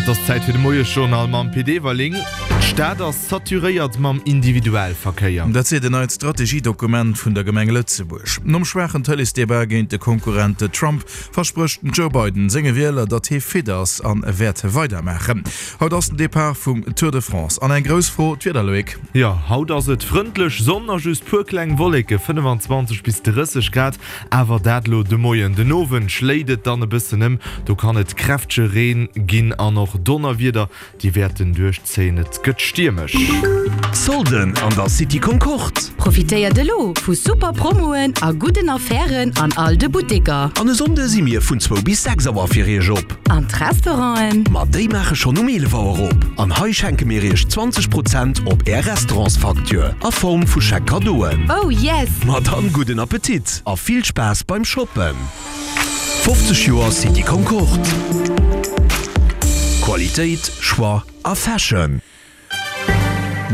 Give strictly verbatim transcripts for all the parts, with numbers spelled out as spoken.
An et ass Zäit fir de Moiesjournal mam Pit Everling. D'Stad ass saturéiert mam Individualverkéier. Dat seet en neit Strategiedokument vun der Gemeng Lëtzebuerg. Nom schwaachen Tëleesdebat géint de Konkurrent Trump versprécht den Joe Biden senge Wieler, datt hie fit ass an wäert weidermaachen. Haut ass den Depart vum Tour de France an eng grouss Fro, d'Wieder, Loïc. Jo, haut ass et frëndlech, Sonn a just puer kleng Wolleke, fënnefenzwanzeg bis drësseg Grad. Awer dat elo de Moien. Den Owend schléit et dann e bëssen ëm, do kann et kräftege Reen ginn an och Donnerwieder, déi wäerten duerchzéien. Et gëtt stiermesch. Solden an der City Concorde! Profitéiert elo vu super Promoen a gudden Affären an all de Butteker! An e Sonnde si mir vun zwou bis sechs Auer fir iech op. An d'Restauranten? Ma déi maache schonn um eelef Auer op. An hei schenke mir iech zwanzeg Prozent op är Restaurantsfacture a Form vu Chèque Cadeauen. Oh yes! Ma dann gudden Appetit a vill Spaass beim Shoppen! fofzeg Joer City Concorde, Qualitéit, Choix a Fashion.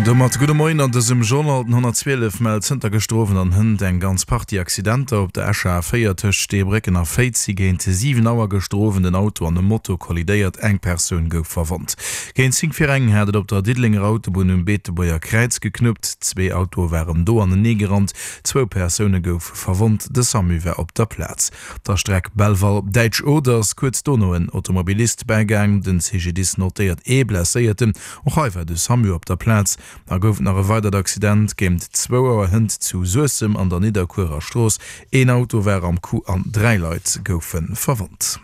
Domat gudde Moien an dësem Journal. Den honnertzwielef mellt zënter gëschter Owend an hënt eng ganz Partie Accidenter. Op der Escher A véier tëscht Steebrécken a Féiz si géint siwen Auer gëschter Owend en Auto an e Moto kollidéiert. Eng Persoun gouf verwonnt. Géint zéng vir eng hat et op der Diddelenger Autobunn um Beetebuerger Kräiz geknuppt. Zwee Autoe waren do anenee gerannt. Zwou Persoune goufe verwonnt. De Samu war op der Plaz. Op der Streck Belval-Däitsch Oder ass kuerz dono en Automobilist bäigaang. Den C G D I S notéiert ee Blesséierten. Och hei war de Samu op der Plaz. Da gouf et nach e weidert Accident géint zwou Auer hënt zu Suessem an der Nidderkuerer Strooss. Een Auto war am Coup an dräi Leit goufe verwonnt.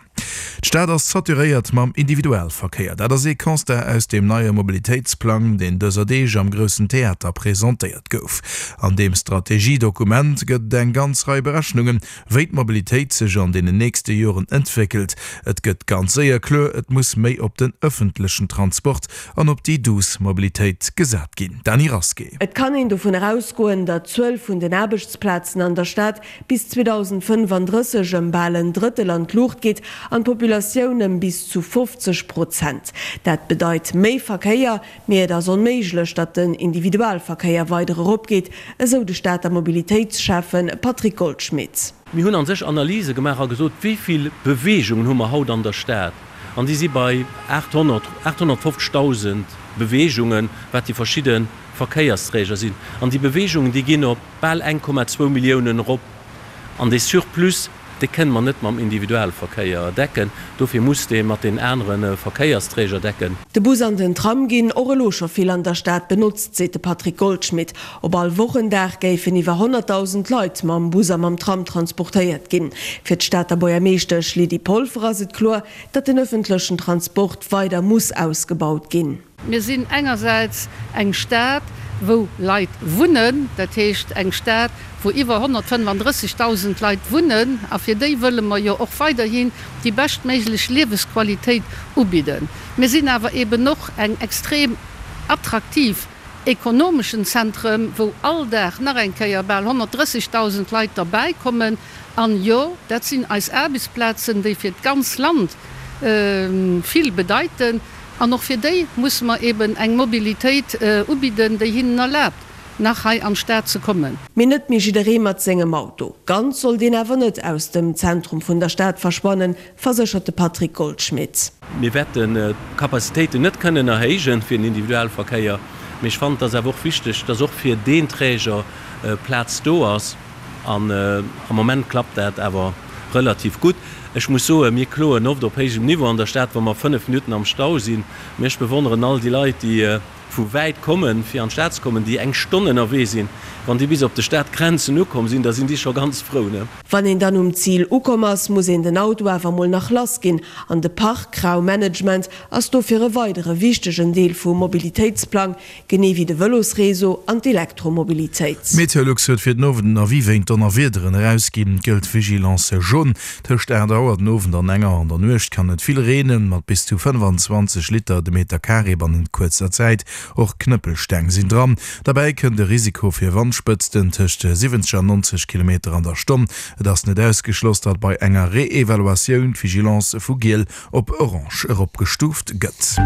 D'Stad ass saturéiert mam Individualverkéier. Dat ass ee Constat aus deem neie Mobilitéitsplang, deen dëser Deeg am Groussen Theater presentéiert gouf. An deem Strategiedokument gëtt et eng ganz Rei Berechnungen, wéi d'Mobilitéit sech an deenen nächste Joren entwéckelt. Et gëtt ganz séier kloer, et muss méi op den ëffentlechen Transport an op déi douce Mobilitéit gesat ginn. Dany Rasqué. Et kann een dovun erausgoen, datt d'Zuel vun den Aarbechtsplazen an der Stad bis zweedausendfënnefandrësseg ëm bal en Drëttel an d'Luucht geet an d'Populatioun ëm bis zu fofzeg Prozent. Dat bedeit méi Verkéier, mee et ass onméiglech, datt den Individualverkéier weider eropgeet, esou de Stater Mobilitéitsschäffen Patrick Goldschmidt. Mir hunn a sech Analyse gemaach a gesot, wéi vill Beweegungen hu mer haut an der Stad? An déi si bei aathonnert, aathonnertfofzegdausend Beweegungen, wat déi verschidde Verkéiersträger sinn. An déi Beweegungen, déi ginn op bal eng Komma zwou Milliounen erop. An dee Surplus, dee kënne mer net mam Individualverkéier decken. Dofir muss dee mat den anere Verkéiersträger decken. De Bus an den Tram ginn och elo scho vill an der Stad benotzt, seet de Patrick Goldschmidt. Op all Wochendag géifen iwwer honnertdausend Leit mam Bus a mam Tram transportéiert ginn. Fir d'Stater Buergermeeschtesch Lydie Polfer ass et kloer, datt den ëffentlechen Transport weider muss ausgebaut ginn. Mir sinn engersäits eng Stad, wou Leit wunnen, dat heescht eng Stad, wou iwwer honnertfënnefandrëssigdausend Leit wunnen, a fir déi wëlle mer jo och weiderhin déi beschtméiglech Liewesqualitéit ubidden. Mir sinn awer eben och eng extrem attraktiv ekonomeschen Zentrum, wou all Dag nach eng Kéier bal honnertdrëssigdausend Leit derbäikommen. An jo, dat sinn eis Aarbechtsplazen, déi fir d'ganz Land vill bedeiten. An och fir déi musse mer eben eng Mobilitéit ubidden, déi hinnen erlaabt, nach hei an d'Stad ze kommen. Mee net méi jidderee mat sengem Auto. Ganz soll deen awer net aus dem Zentrum vun der Stad verschwannen, verséchert de Patrick Goldschmidt. Mir wäerten d'Capacitéiten net kënnen erhéijen fir den Individualverkéier, mee ech fannen, et ass awer och wichteg, dass och fir deen Träger Plaz do ass. An am Moment klappt dat awer relativ gutt. Ech muss soen, mir kloen oft op héijem Niveau an der Stad, wa mer fënnef Minutten am Stau sinn. Mee ech bewonneren all déi Leit, déi vu wäit kommen, fir an d'Stad ze kommen, déi eng Stonn ënnerwee sinn. Wann déi bis op de Stadgrenzen ukomm sinn, da sinn déi scho ganz frou, ne? Wann een dann um Zil ukomm ass, muss een den Auto awer mol nach lass ginn. An de Parkraummanagement ass dofir e weidere wichtegen Deel vum Mobilitéitsplang, genee wéi de Vëlosreseau an d'Elektromobilitéit. Meteolux huet fir den Owend en Avis wéint Donnerwiederen erausginn. Et gëllt Vigilance jaune. Tëscht aacht Auer den Owend an eng Auer an der Nuecht kann et vill reenen, mat bis zu fënnefenzwanzeg Liter de Meter Carré bannent kuerzer Zäit. Och Knëppelsteng sinn dran. Derbäi kënnt e Risiko fir Wandspëtzten tëscht siwwenzeg an nonzeg Kilometer an der Stonn. Et ass net ausgeschloss, datt bei enger Reevaluatioun d'Vigilance vu giel op orange eropgestuuft gëtt.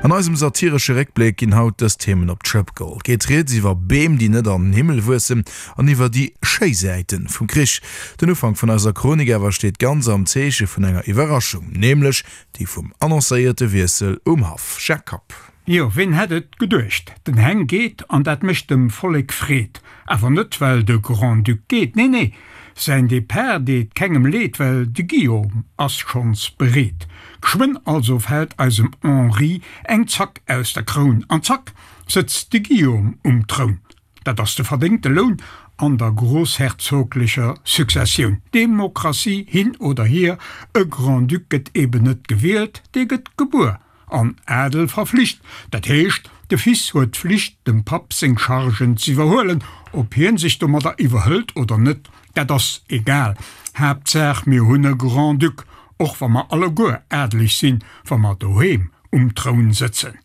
An eisem satiresche Réckbléck ginn haut dës Themen op d'Schëpp geholl. Et geet rieds iwwer Beem, déi net an den Himmel wuessen an iwwer déi schéi Säiten vum Krich. Den Ufank vun eiser Chronik awer steet ganz am Zeeche vun enger Iwwerraschung, nämlech déi vum annoncéierte Wiessel um Haff. Jacques Kapp. Jo, ween hätt et geduecht? Den Heng geet, an dat mécht dem Vollek Freed. Awer net well de Grand-Duc geet, nee, nee, säin Depart deet kengem Leed, well de Guillaume ass schonns bereet. Geschwënn also fält eisem Henri eng Zack aus der Kroun, an zack sëtzt de Guillaume um Troun. Dat ass de verdéngte Loun an der grossherzoglecher Successioun. Demokratie hin oder hier, e Grand-Duc gëtt eben net gewielt, dee gëtt gebuer. An Adel verflicht. Dat heescht, de Fils huet d'Flicht, dem Papp seng Chargen z'iwwerhuelen. Ob hien sech domadder iwwerhëlt oder net, dat ass egal. Haaptsaach, mir hunn e Grand-Duc, och wa mer alleguer adeleg sinn, wa mer doheem um Troun sëtzen.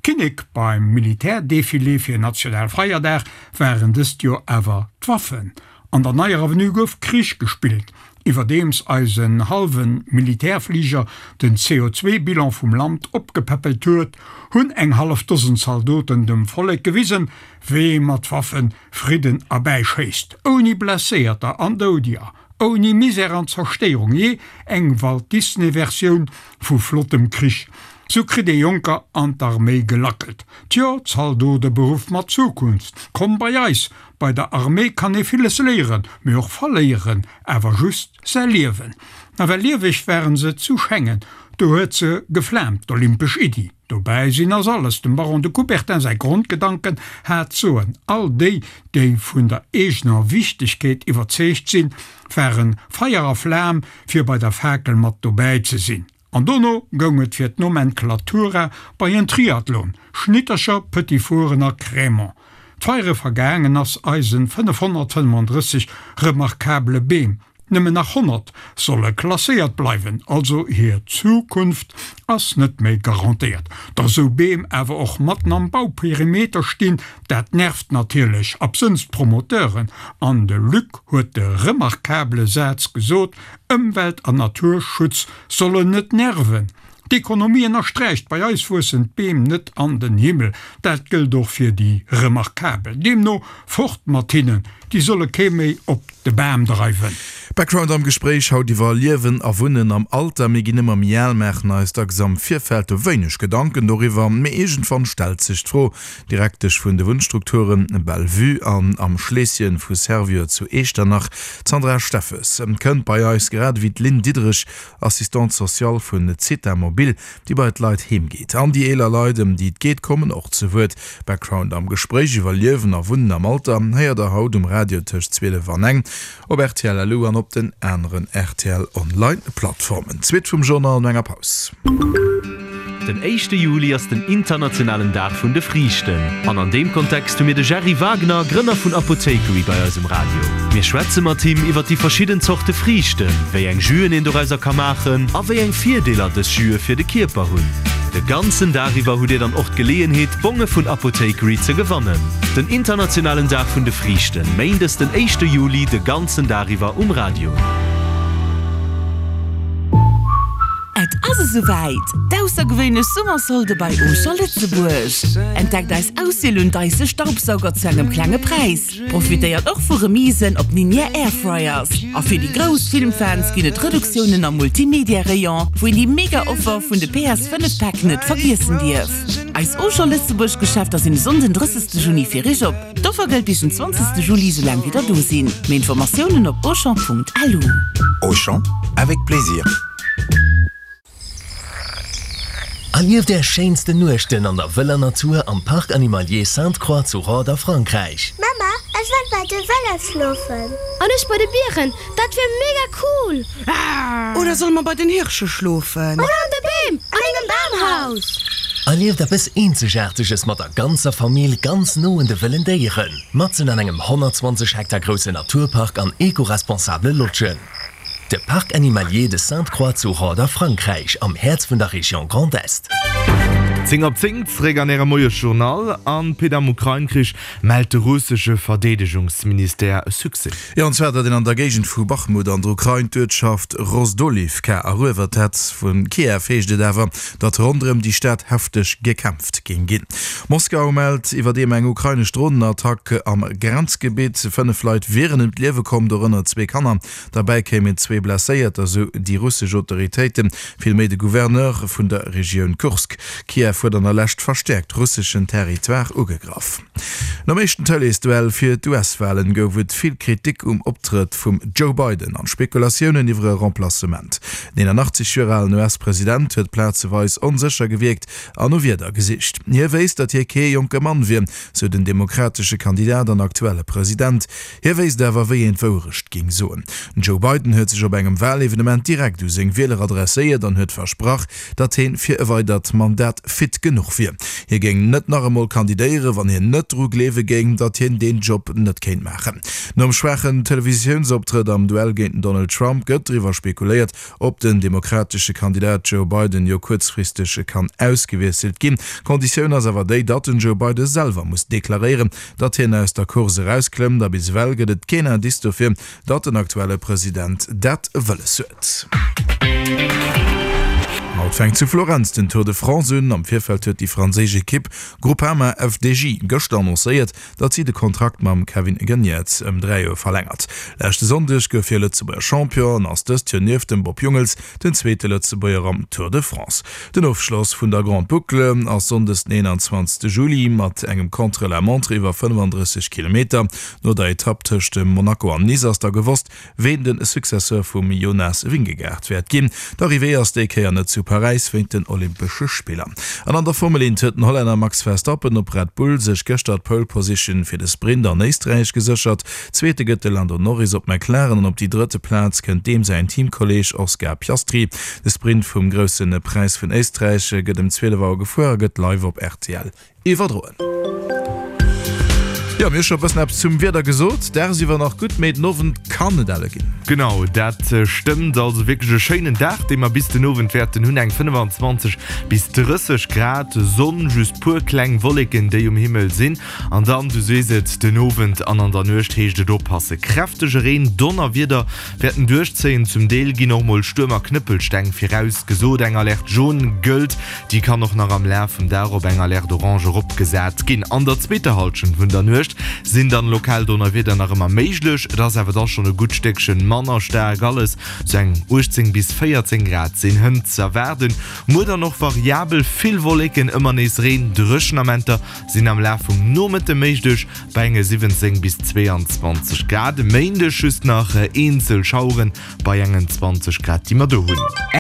Kinnek beim Militärdefilé fir Nationalfeierdag waren dëst Joer awer d'Waffen. An der Neier Avenue gouf Krich gespillt, iwwerdeems eisen hallwe Militärfliger den C O zwei Bilan vum Land opgepäppelt huet, hunn eng hallef Dosen Zaldoten dem Vollek gewisen, wéi ee mat Waffen Fridden erbäischéisst, ouni Blesséierter an Doudeger, ouni Misär an Zerstéierung, jee, eng Walt Disney Versioun vu flottem Krich. Sou kritt ee Jonker an d'Arméi gelackelt. Tjo, Zaldoteberuff mat Zukunft, komm bei eis! Bei der Arméi kann ee villes léieren, mee och verléieren, awer just säi Liewen. Nawell lieweg waren se zu Schengen, do huet se geflaamt, d'olympesch Iddi. Dobäi sinn ass alles, dem Baron de Coubertin säi Grondgedanken hat soen, all déi, déi vun der eegener Wichtegkeet iwwerzeegt sinn, waren Feier a Flam, fir bei der Fakel mat dobäi ze sinn. An dono goung et fir d'Nomenklatura bei en Triathlon, Schnittercher, Petit Four'en a Crémant. D'Feiere vergaangen ass eisen fënnefhonnertfënnefandrësseg remarkabele Beem, nëmmen nach honnert solle klasséiert bleiwen, also hir Zukunft ass net méi garantéiert. Datt esou Beem awer och matten am Bauperimeter stinn, dat nervt natierlech absënns d'Promoteuren. An de Luc huet de remarkabele Saz gesot, Ëmwelt an Naturschutz sollen net nerven. D'Ekonomie ënnersträicht, bei eis wuessen d'Beem net an den Himmel. Dat gëllt och fir déi Remarkabel. Deemno, fort mat hinnen, déi solle kee méi op de Bam dreiwen. Background am Gespréich haut iwwer Liewen a Wunnen am Alter. Mir ginn ëmmer méi al, maachen eis dacks am Virfeld wéineg Gedanken doriwwer, mee iergendwann stellt sech d'Fro. D'Direktesch vun de Wunnstrukture Belle-Vue an am Schleesschen vu Servior zu Eechternach, d'Sandra Steffes, kënnt bei eis, grad ewéi d'Lynn Diderich, Assistante sociale vun Zitha Mobil, déi bei d'Leit heem geet. An déi eeler Leit, ëm déi et geet, kommen och ze Wuert. Background am Gespréich iwwer Liewen a Wunnen am Alter héiert der haut um Radio tëscht zwielef an eng, op R T L L U an op den aneren R T L Online Plattformen. D'Suite vum Journal no enger Paus. Den éischte Juli ass den internationalen Dag vun de Friichten. An an deem Kontext hu mir de Gerry Wagner, Grënner vun Apothekery bei eis um Radio. Mir schwätze mat him iwwer déi verschidden Zorte Friichten, wéi eng Jüen een dorauser ka maachen a wéi eng Virdeeler dës Jüe fir de Kierper hunn. De ganzen Dag iwwer hutt dir dann och d'Geleeënheet, Bonge vun Apothekery ze gewannen. Den internationalen Dag vun de Friichten, méindes den éischte Juli, de ganzen Dag iwwer um Radio. Et ass esouwäit! D'aussergewéinlech Summersolde bei Auchan Lëtzebuerg! Entdeckt eis Auswiel un Dyson Staubsauger zu engem klenge Präis. Profitéiert och vu Remisen op Ninja Airfryers. A fir déi grouss Filmfans ginn et Reduktiounen am Multimedia-Rayon, wou een déi mega Offer vun de P S fënnef Päck net vergiessen dierf. Eis Auchan Lëtzebuerg Geschäfter sinn e Sonnden drëssegste Juni fir Iech op. D'Offer gëllt bis den zwanzegste Juli, soulaang wéi der do sinn. Méi Informatiounen op auchan Punkt lu. Auchan, avec plaisir. Erlieft är schéinsten Nuechten an der wëller Natur am Parc Animalier Sainte-Croix zu Rhodes a Frankräich. Mama, ech wëll bei de Wëllef schlofen. An ech bei de Bieren, dat wier mega cool! Oder solle mer bei den Hirsche schlofen? Oder an de Beem, an engem Bamhaus! Erlieft eppes Eenzegaarteges mat der ganzer Famill ganz no un de wëllen Déieren, matzen an engem honnertzwanzeg Hektar groussen Naturpark an eco-responsabele Lodgen. De Parc Animalier de Sainte-Croix zu Rhodes a Frankräich, am Häerz vun der Région Grand Est. Zéng op zéng, zeréck an Ärem Moiesjournal. An Pit, am Ukrain-Krich mellt de russesche Verdeedegungsministère e Succès. Jo, an zwar datt een an der Géigend vu Bachmut an der Ukrain d'Uertschaft Rozdolivka eruewert hätt. Vu Kiew heescht et awer, datt ronderëm déi Stad hefteg gekämpft géing ginn. Moskau mellt iwwerdeem eng ukrainesch Dronenattack am Grenzgebitt. Fënnef Leit wieren ëm d'Liewe komm, dorënner zwee Kanner. Derbäi kéimen zwee Blesséierter, sou déi russesch Autoritéiten, vill méi de Gouverneur vun der Regioun Kursk. Kiew huet an der Lescht verstäerkt russeschen Territoire ugegraff. Nom éischten Tëleesduell fir d'US-Walen gouf et vill Kritik um Optrëtt vum Joe Biden an Spekulatiounen iwwer e Remplacement. Den eenanachtzeg Joer alen US-President huet plazeweis onsécher gewierkt an no Wierder gesicht. Hie wéisst, datt hie kee jonke Mann wier, sou den demokratesche Kandidat an aktuelle President. Hie wéisst awer, wéi een d'Wourecht géing soen. Den Joe Biden huet sech op engem Walevenement direkt u seng Wieler adresséiert an huet versprach, datt hien fir e weidert Mandat fit genuch wier. Hie géing net nach emol kandidéieren, wann hien net dru gleewe géing, datt hien deen Job net kéint maachen. Nom schwaachen Televisiounsoptrëtt am Duell géint den Donald Trump gëtt driwwer spekuléiert, ob den demokratesche Kandidat Joe Biden jo kuerzfristeg kann ausgewiesselt ginn. Konditioun ass awer déi, datt den Joe Biden selwer muss deklaréieren, datt hien aus der Course erausklëmmt. A bis ewell gëtt et keen Indice dofir, datt den aktuelle President dat wëlles huet. Haut fänkt zu Florenz den Tour de France un. Am Virfeld huet déi franséisch Ekipp Groupama F D J gëschter annoncéiert, datt si de Kontrakt mam Kevin Geniets ëm dräi Joer verlängert. Leschte Sonndeg gouf hie Lëtzebuerger Champion an ass dëst Joer nieft dem Bob Jungels den zweete Lëtzebuerger am Tour de France. Den Ofschloss vun der Grande Boucle ass sonndes den eenanzwanzegste Juli mat engem Contre-la-montre iwwer fënnefandrësseg Kilometer. No der Etapp tëscht Monaco an Nice ass da gewosst, ween de Successeur vum Jonas Vingegaard wäert ginn. D'Arrivée ass déi Kéier net zu Paräis wéint den Olympesche Spiller. An an der Formel eent huet den Hollänner Max Verstappen op Red Bull sech gëschter d'Pole Position fir de Sprint an Éisträich geséchert. Zweete gëtt de Lando Norris op McLaren an op déi drëtte Plaz kënnt deem säin Teamkolleeg Oscar Piastri. De Sprint vum Grousse Präis vun Éisträich gëtt ëm zwielef Auer gefuer a gëtt live op R T L iwwerdroen. Jo, mir hu scho e bëssen eppes zum Wieder gesot. Dagsiwwer nach gutt, mee den Owend kann et elle ginn. Genau, dat stëmmt. Also wierklech e schéinen Dag, dee mer bis den Owend wäerten hunn. Eng fënnefanzwanzeg bis drësseg Grad, Sonn, just puer kleng Wolleken, déi um Himmel sinn. An dann, du sees et, den Owend an an der Nuecht heescht et oppassen. Kräftege Reen, Donnerwieder wäerten duerchzéien. Zum Deel ginn och mol Stuerm a Knëppelsteng virausgesot. Eng Alerte jaune gëllt, déi kann och nach am Laf vum Dag op eng Alerte orange eropgesat ginn. An der zweeter Hallschent vun der Nuecht sinn dann lokal Donnerwieder nach ëmmer méiglech, et ass awer da schonn e gutt Stéckchen manner staark alles. Sou eng uechtzéng bis véierzéng Grad sinn hënt ze erwaarden. Muer dann och variabel, vill Wolleken, ëmmer nees Reen, dréchen Amenter sinn am Laf vum Nomëtte méiglech bei enge siwwenzéng bis zweeanzwanzeg Grad. E Méindeg just nach eenzel Schaueren bei engen zwanzeg Grad déi mer do hunn.